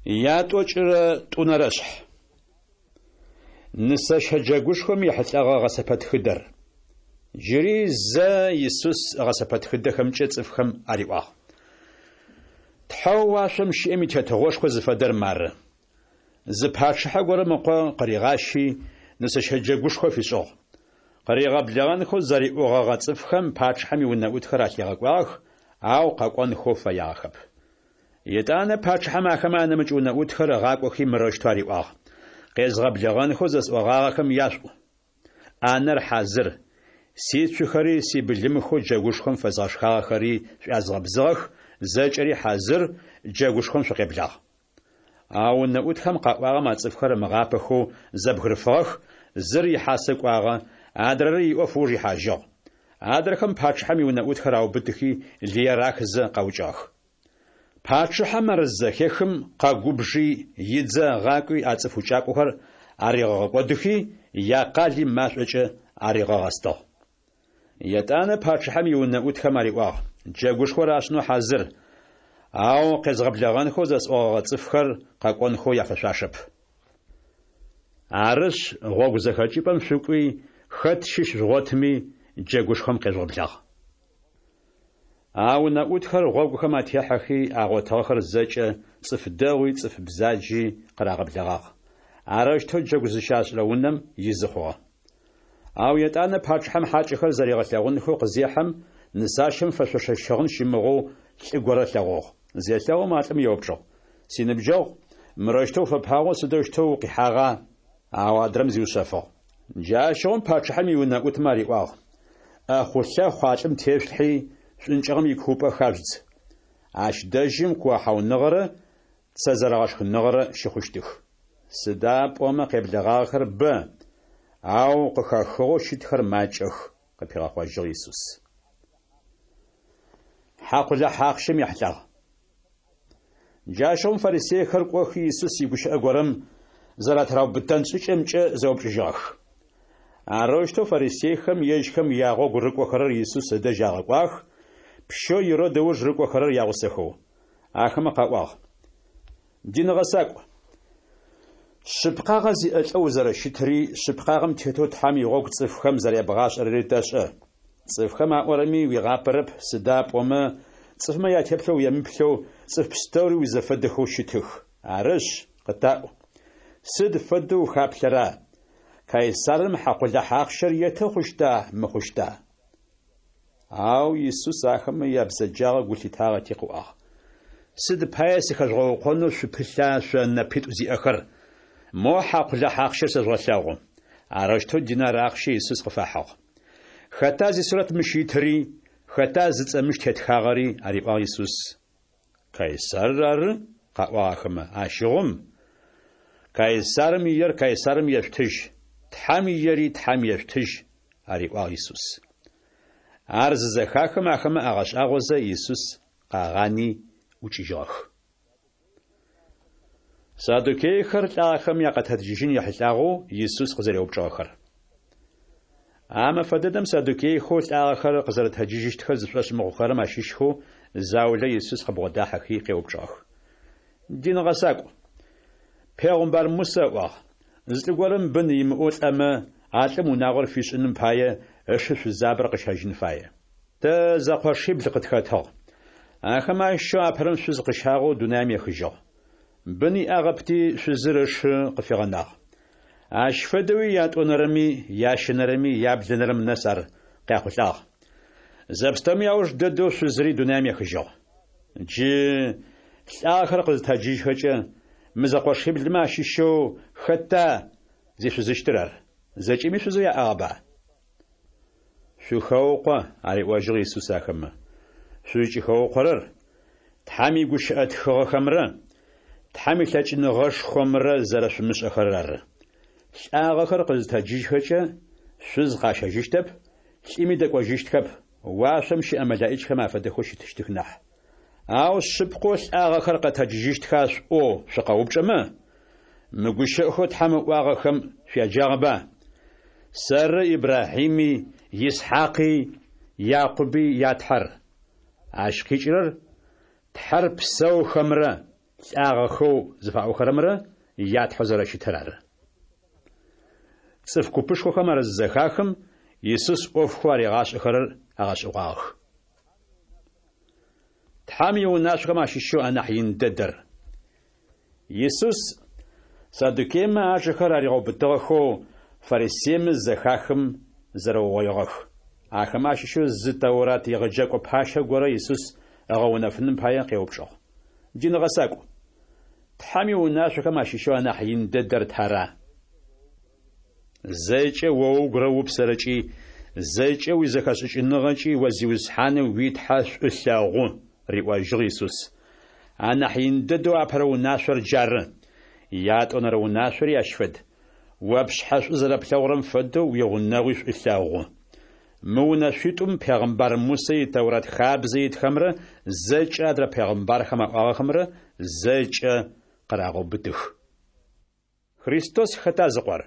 Ятӏокӏырэ тӏунэрэшъхь. Нысэщэ джэгушхом ехьылӏэгъэ гъэсэпэтхыдэр. Джыри зэ Исус гъэсэпэтхыдэхэмкӏэ цӏыфхэм ариӏуагъ. Тхьэу уашъом щыӏэм и Тетыгъошхо зыфэдэр мары. Зы пачъыхьэ горэм ыкъо къыригъащи, нысэщэ джэгушхо фишӏыгъ. Къыригъэблэгъэнхэу зэриӏогъэгъэ цӏыфхэм пачъыхьэм иунэӏутхэр алъигъэкӏуагъэх, ау къэкӏонхэу фэягъэхэп. Етӏанэ пачъыхьэм ахэмэ анэмыкӏ унэӏутхэр ыгъакӏохи мырэущтэу ариӏуагъ: Къезгъэблэгъэнхэу зэсӏогъагъэхэм яшъуӏу. ӏанэр хьазыр, сицухэри сибылымхэу джэгушхом фэзгъэшхагъэхэри шӏуязгъэбзыгъэх, зэкӏэри хьазыр, джэгушхом шъукъеблагъ. Ау унэӏутхэм къаӏуагъэм а цӏыфхэр ымыгъапэхэу зэбгырыфыгъэх, зыр ихьасэ кӏуагъэ, адрэр иӏоф ыуж ихьажьыгъ. Адрэхэм пачъыхьэм иунэӏутхэр аубытыхи лые рахызэ къаукӏыгъэх. Пачъыхьэм ар зызэхехым, къэгубжи, идзэ ыгъакӏуи а цӏыф укӏакӏохэр аригъэгъэкӏодыхи, якъали машӏокӏэ аригъэгъэстыгъ. Етӏанэ пачъыхьэм иунэӏутхэм ариӏуагъ: Джэгушхор ашӏынэу хьазыр, ау къезгъэблэгъэнхэу зэсӏогъэгъэ цӏыфхэр къэкӏонхэу яфэшъуашэп. Арышъ, гъогу зэхэкӏыпӏэм шъукӏуи, хэт щыщ жъугъотми, джэгушхом къежъугъэблагъ. А унэӏутхэр гъогухэм атехьэхи, агъотыгъэхэр зэкӏэ, цӏыф дэгъуи цӏыф бзаджи, къырагъэблэгъагъ. Арэущтэу джэгу зыщашӏырэ унэм изы хъугъэ. Ау етӏанэ пачъыхьэм хьакӏэхэр зэригъэлъэгъунхэу къызехьэм, нысащэм фэшъошэ щыгъын щымыгъэу лӏы горэ ылъэгъугъ. Зелъэгъум, а лӏым еупчӏыгъ: Синыбджэгъу, мырэущтэу уфэпагъэу сыдэущтэу укъихьагъа? Ау адрэм зиушъэфыгъ. Джащыгъум пачъыхьэм иунэӏутмэ ариӏуагъ: ӏэхъулъэхъу а лӏым тешъулъхьи, шӏункӏыгъэм икуупӏэ хажъудз. Ащ дэжьым куохьауныгъэрэ цэ зэрэгъэшхыныгъэрэ щыхъущтых. Сыда пӏомэ къеблэгъагъэхэр бэ, ау къыхэхыгъэу щытхэр макӏэх, къыпигъэхъожьыгъ Исус. Хьакъулахь ахъщэм ехьылӏагъ. Джащыгъум фарисейхэр кӏохи Исус игущыӏэ горэм зэратыраубытэн шӏыкӏэмкӏэ зэупчӏыжьыгъэх. Арэущтэу фарисейхэм ежьхэм ягъогу рыкӏохэрэр Исус ыдэжь агъэкӏуагъэх, пщэу Ирод ыуж рыкӏохэрэр ягъусэхэу. Ахэмэ къаӏуагъ: Дин гъэсакӏу, шъыпкъагъэ зиӏэ лӏэу узэрэщытри, шъыпкъагъэм тетэу Тхьэм игъогу цӏыфхэм зэрябгъашӏэрэри тэшӏэ. Цӏыфхэм аӏорэми уигъапэрэп, сыда пӏомэ цӏыфмэ ятеплъэ уемыплъэу цӏыф пстэури уизэфэдэхэу щытых. Арышъ, къытаӏу, сыд фэдэу ухаплъэра, Кайсарым хьакъулахь ахъщэр еты хъущта, мыхъущта? Ау Исус ахэмэ ябзэджагъэ гу лъитагъэти къыӏуагъ: Сыд пае сыхэжъугъэукъонэу шъупылъа шъо нэпитӏу зиӏэхэр? Мо хьакъулахь ахъщэр сэжъугъэлъэгъу. Арэущтэу динар ахъщэ Исус къыфахьыгъ. Хэта зисурэт мыщ итыри, хэта зыцӏэ мыщ тетхагъэри? ариӏуагъ Исус. Кайсарыр ары, къаӏуагъ ахэмэ. Ащыгъум, Кайсарым иер Кайсарым ешъутыжь, Тхьэм иери Тхьэм ешъутыжь, ариӏуагъ Исус. Ар зызэхахым ахэмэ агъэшӏагъозэ Исус къагъани ӏукӏыжьыгъэх. Саддукейхэр лӏагъэхэм якъэтэджыжьын ехьылӏагъэу Исус къызэреупчӏыгъэхэр. А мэфэ дэдэм саддукейхэу лӏагъэхэр къызэрэтэджыжьыщтхэр зышӏошъ мыхъухэрэм ащыщхэу заулэ Исус къыбгъодахьэхи къеупчӏыгъэх. Дин гъэсакӏу, пегъымбар Мусэ ыӏуагъ, Зы лӏы горэм бын имыӏэу лӏэмэ, а лӏым унагъор фишӏыным пае ышы шъузабэр къыщэжьын фае. Тэ зэкъошибл къытхэтыгъ. Ахэмэ ащыщэу апэрэм шъуз къыщагъэу дунаим ехыжьыгъ. Бын иӏагъэпти, шъузыр ышы къыфигъэнагъ. Ащ фэдэуи ятӏонэрэми, ящэнэрэми, яблэнэрэм нэс ар къяхъулӏагъ. Зэпстэуми ауж дэдэу шъузыри дунаим ехыжьыгъ. Джы лӏагъэхэр къызытэджыжьхэкӏэ, мы зэкъошиблымэ ащыщэу хэта зишъузыщтыр ар? Зэкӏэми шъузэу яӏагъэба? Шъухэукъо, ариӏожьыгъ Исус ахэмэ. Шъузкӏыхэукъорэр Тхьэм игущыӏэ тхыгъэхэмрэ Тхьэм илъэкӏыныгъэшхомрэ зэрэшъумышӏэхэрэр ары. Лӏагъэхэр къызытэджыжьхэкӏэ, шъуз къащэжьыщтэп, лӏыми дэкӏожьыщтхэп, уашъом щыӏэ мэлэӏичхэм афэдэхэу щытыщтых нахь. Ау шъыпкъэу лӏагъэхэр къэтэджыжьыщтха шъуӏоу шъукъэупчӏэмэ, мы гущыӏэхэу Тхьэм ыӏуагъэхэм шъуяджагъэба? Сэры Ибрахьими, Исхьакъи, Якъуби я Тхьэр. Ащ къикӏырэр Тхьэр псэухэмрэ лӏагъэхэу зыфаӏохэрэмрэ ятхьэу зэрэщытыр ары. Цӏыф купышхохэм ар зызэхахым, Исус ӏофхэу аригъашӏэхэрэр агъэшӏэгъуагъэх. Тхьэм иунашъохэм ащыщэу анахь ин дэдэр. Исус саддукеймэ ажэхэр аригъэубытыгъэхэу фарисеймэ зызэхахым, зэрэугъоигъэх. Ахэмэ ащыщэу зы Тэурат егъэджэкӏо пащэ горэ Исус ыгъэунэфыным пае къеупчӏыгъ. Дин гъэсакӏу, Тхьэм иунашъохэм ащыщэу анахь ин дэдэр тара? Зэкӏэ о угурэ упсэрэкӏи, зэкӏэ уизэхэшӏыкӏыныгъэкӏи о Зиусхьанэу уи Тхьэ шӏу лъэгъу, риӏожьыгъ Исус. Анахь ин дэдэу апэрэ унашъор джары. Ятӏонэрэ унашъори ащ фэд. О пшъхьэ шӏу зэрэплъэгъурэм фэдэу уигъунэгъуи шӏу лъэгъу. Мы унэшъуитӏум пегъымбар Мусэ и Тэурат хабзэ итхэмрэ зэкӏэ адрэ пегъымбархэм аӏуагъэхэмрэ зэкӏэ къырагъэубытых. Христос хэта зыкъор?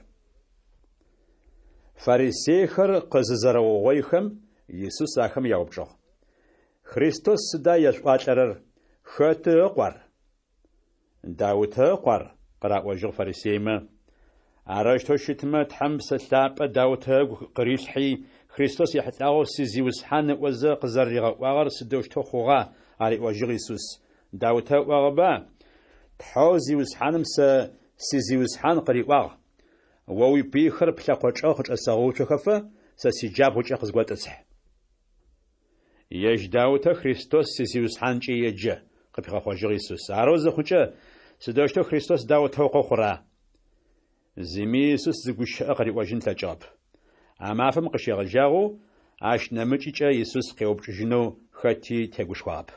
Фарисейхэр къызызэрэугъоихэм, Исус ахэм яупчӏыгъ. Христос сыда ешъуӏуалӏэрэр, хэты ыкъу ар? Даутэ ыкъу ар, къыраӏожьыгъ фарисеймэ. Арэущтэу щытмэ, Тхьэм Псэ Лъапӏэ Даутэ ыгу къырилъхьи, Христос ехьылӏагъэу си Зиусхьан ыӏозэ къызэрэригъэӏуагъэр сыдэущтэу хъугъа? ариӏожьыгъ Исус. Даутэ ыӏуагъэба, Тхьэу Зиусхьаным сэ си Зиусхьан къыриӏуагъ, О уипыйхэр плъэкъо чӏэгъ къычӏэсэгъэуцохэфэ, сэ сиджабгъукӏэ къызготӏысхь. Ежь Даутэ Христос си Зиусхьанкӏэ еджэ, къыпигъэхъожьыгъ Исус. Арэу зыхъукӏэ, сыдэущтэу Христос Даутэ ыкъо хъура? Зыми Исус зы гущыӏэ къыриӏожьын ылъэкӏыгъэп. А мафэм къыщегъэжьагъэу ащ нэмыкӏыкӏэ Исус къеупчӏыжьынэу хэти тегушхуагъэп.